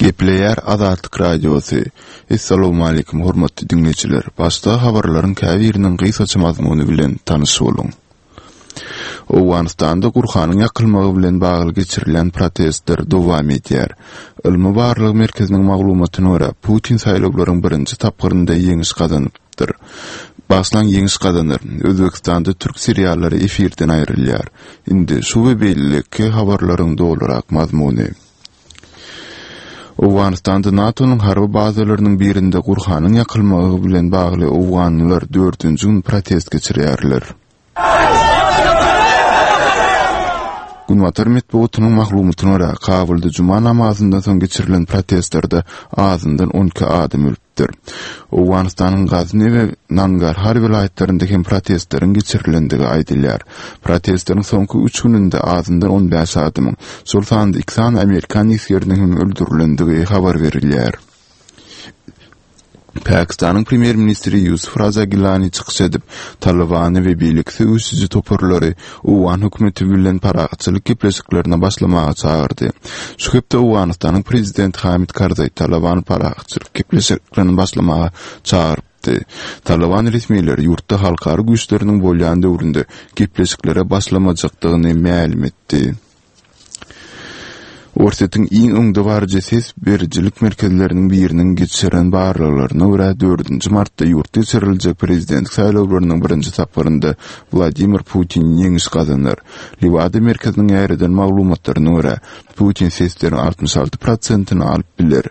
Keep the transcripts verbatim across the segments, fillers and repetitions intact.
Gepleýär Azatlyk Radiosy. Essalawmaleýkim hormatly diňleýjiler. Başda habarlaryň käbiriniň gysgaça mazmuny bilen tanyş boluň. Owganystanda Gurhanyň ýakylmagy bilen bagly geçirilýän protestler dowam edýär. Ylmy barlag merkeziniň maglumatyna görä, Putin saýlawlaryň birinji tapgyrynda ýeňiş gazanypdyr. Başlan ýeňiş gazanar. Özbegistanda türk seriallary efirden aýrylýar. Indi şu we beýleki habarlaryň dolurak mazmuny. Owganystanda NATO-nyň harby bazalarynyň birinde Gurhanyň ýakylmagy bilen bagly owganlylar dördünji gün protest geçirýärler. Günbatar metbugatynyň maglumatyna görä, Kabulda juma namazyndan soň geçirilen protestlerde azyndan on iki adam ölüpdir. Owganystanyň Gazni we Nangarhar welaýatlarynda hem protestleriň geçirilendigi aýdylýar. Protestleriň soňky üç gününde azyndan on bäş adamyň, şol sanda iki sany amerikan esgeriniň hem öldürilendigi habar berilýär. Pakistanyň premýer-ministri Ýusuf Raza Gilani çykyş edip, Talybany we beýleki söweşiji toparlary Owgan hökümeti bilen parahatçylyk gepleşiklerine başlamaga çagyrdy. Şu hepde Owganystanyň prezidenti Hamid Karzaý Talybany parahatçylyk gepleşiklerine başlamaga çagyrypdy. Talyban resmileri ýurtda halkara güýçleriniň bolýan döwründe gepleşiklere başlamajakdygyny mälim etdi. Orsýetiň iň öňdebaryjy ses berijilik merkezleriniň biriniň geçiren barlaglaryna görä, dördünji martda ýurtda geçiriljek prezidentlik saýlawlarynyň birinji tapgyrynda Wladimir Putin ýeňiş gazanar. Lewada merkeziniň ýaýradan maglumatlaryna görä, Putin sesleriň altmyş alty prosentini alyp biler.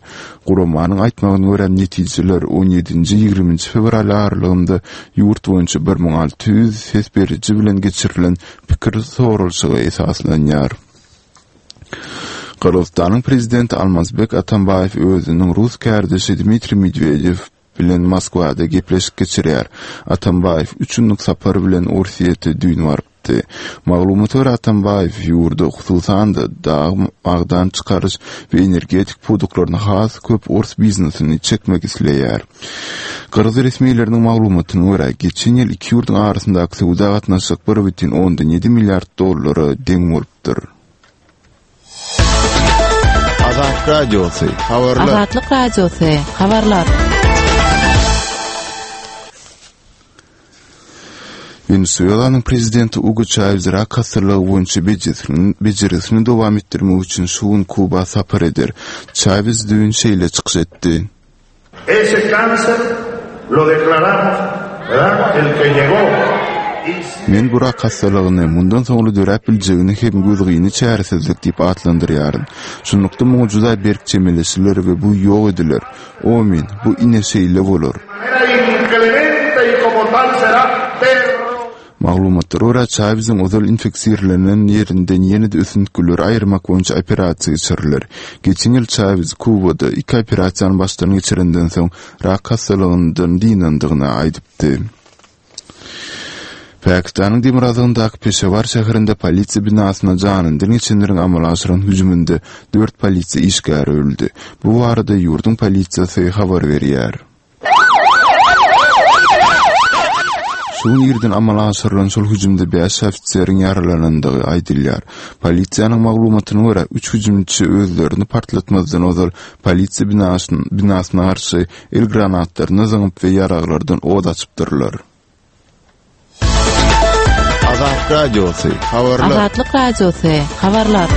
Guramanyň aýtmagyna görä, netijeler on ýedinji-ýigriminji fewral aralygynda ýurt boýunça bir müň alty ýüz ses beriji bilen geçirilen pikir soralyşyga esaslanýar. Gyrgyzystanyň prezidenti Almazbek Atambaýew özüniň rus kärdeşi Dmitriý Medwedew bilen Moskwada gepleşik geçirýär. Atambaýew üç günlük sapar bilen Orsýete düýn barypdy. Maglumata görä, Atambaýew ýurda, hususan-da, dag magdan çykaryş we energetik pudaklaryna has köp ors biznesini çekmek isleýär. Gyrgyz resmileriniň maglumatyna görä, geçen ýyl iki ýurduň arasyndaky söwda gatnaşyk bir bütin ondan ýedi milliard dollara deň bolupdyr. Azatlyk Radiosy, habarlar. Azatlyk Radiosy, habarlar. Wenesuelanyň prezidenti Ugo Çawez rak hassalygy boýunça bejergisini dowam etdirmek üçin şu gün Kuba sapar eder. Çawez düýn şeýle çykyş etdi. Ese cáncer lo declaramos, ¿verdad? El que llegó. Men bu rak hassalygyny mundan soňra döräp biljegini hem gözgyny çäresizlik diýip atlandyrýaryn. Şunlukda muňa juda berk çemeleşiler we bu ýok ediler. Omin, bu ine şeýle bolar. Maglumatlara görä, Çaweziň ozal infeksirlenen ýerinden ýene-de ösüntgileri aýyrmak boýunça operasiýa geçiriler. Geçen ýyl Çawez Kubada iki operasiýany başdan geçirenden soň rak hassalygyndan dynandygyny aýdypdy. Pakistanyň demirgazygyndaky Peşewar şäherinde polisiýa binasyna janyndan geçenleriň amala aşyran hüjüminde dört polisiýa işgäri öldi. Bu barada ýurduň polisiýasy habar berýär. Şu gün irden amala aşyrylan şol hüjümde bäş ofiseriň ýaralanandygy aýdylýar. Polisiýanyň maglumatyna görä, üç hüjümçi özlerini partlatmazdan ozal polisiýa binasyna garşy el granatlaryny zyňyp we ýaraglardan od açypdyrlar. Azatlyk Radiosy, habarlar. Azatlyk Radiosy, habarlar.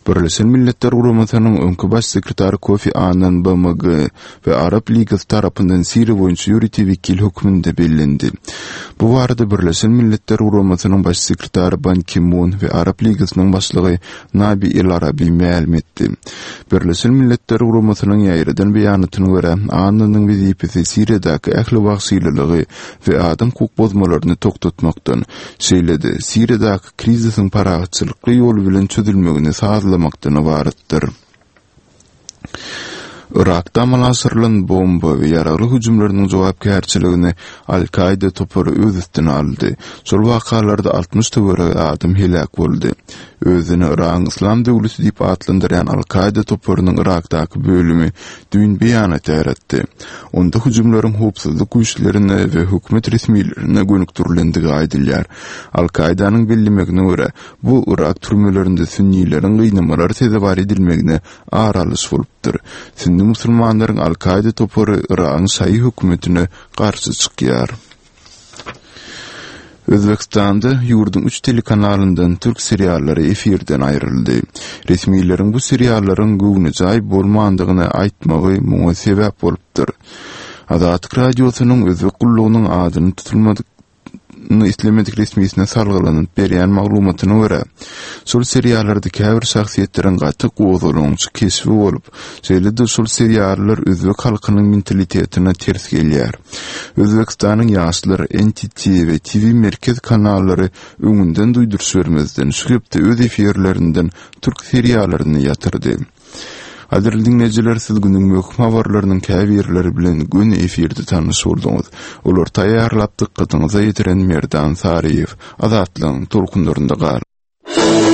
Birleşen Milletler Guramasynyň öňki baş sekretary Kofi Annan B M G we Arap Ligasy tarapyndan Siriýa boýunça ýörite wekil hökmünde bellendi. Bu barada Birleşen Milletler Guramasynyň baş sekretary Ban Ki-mun we Arap Ligasynyň başlygy Nabi El Arabi mälim etdi. Birleşen Milletler Guramasynyň ýaýradan beýanatyna görä, Annanyň wezipesi Siriýadaky ähli wagşylylygy we adam hukuk bozmalaryny togtatmakdan, şeýle-de Siriýadaky krizisiň parahatçylykly ýol bilen çözülmegini sazlamakdan ybaratdyr. Irakda amala aşyrylan bomba we ýaragly hüjümleriniň jogapkärçiligini Al-Kaida topary öz üstüne aldy. Şol wakalarda altmyş töweregi adam heläk boldy. Özüni Yragyň Yslam döwleti diýip atlandyrýan Al-Kaýda toparynyň Yrakdaky bölümi düýn beýanat ýaýratdy. Onda hüjümleriň howpsuzlyk güýçlerine we hökümet resmilerine gönükdirilendigi aýdylýar. Al-Kaýdanyň bellemegine görä, bu Yrak türmelerinde sünnileriň gynamalara sezewar edilmegine ar alyş bolupdyr. Sünni musulmanlaryň Al-Kaýda topary Yragyň şaýy hökümetine garşy çykýar. Özbegistanda ýurduň üç telekanalyndan türk seriallary efirden aýryldy. Resmileriň bu seriallaryň göwnejaý bolmandygyny aýtmagy muňa sebäp bolupdyr. Azatlyk Radiosynyň Özbek gullugynyň adyny tutulmadyk islemedik resmisine salgylanyp berýän maglumatyna görä, şol seriallarda käbir şahsyýetleriň gaty gozgalaňçy keşbi bolup, şeýle-de şol seriallar özbek halkynyň mentalitetine ters gelýär. Özbegistanyň Ýaşlar, N T T we T V Merkez kanallary öňünden duýduryş bermezden şu hepde öz efirlerinden türk seriallaryny ýatyrdy. Gadyrly diňleýjiler, siz günüň möhüm habarlarynyň käbirleri bilen göni efirde tanyş bolduňyz. Olary taýýarlap dykgatyňyza ýetiren Merdan Saryýew. Azatlygyň tolkunlarynda galyň.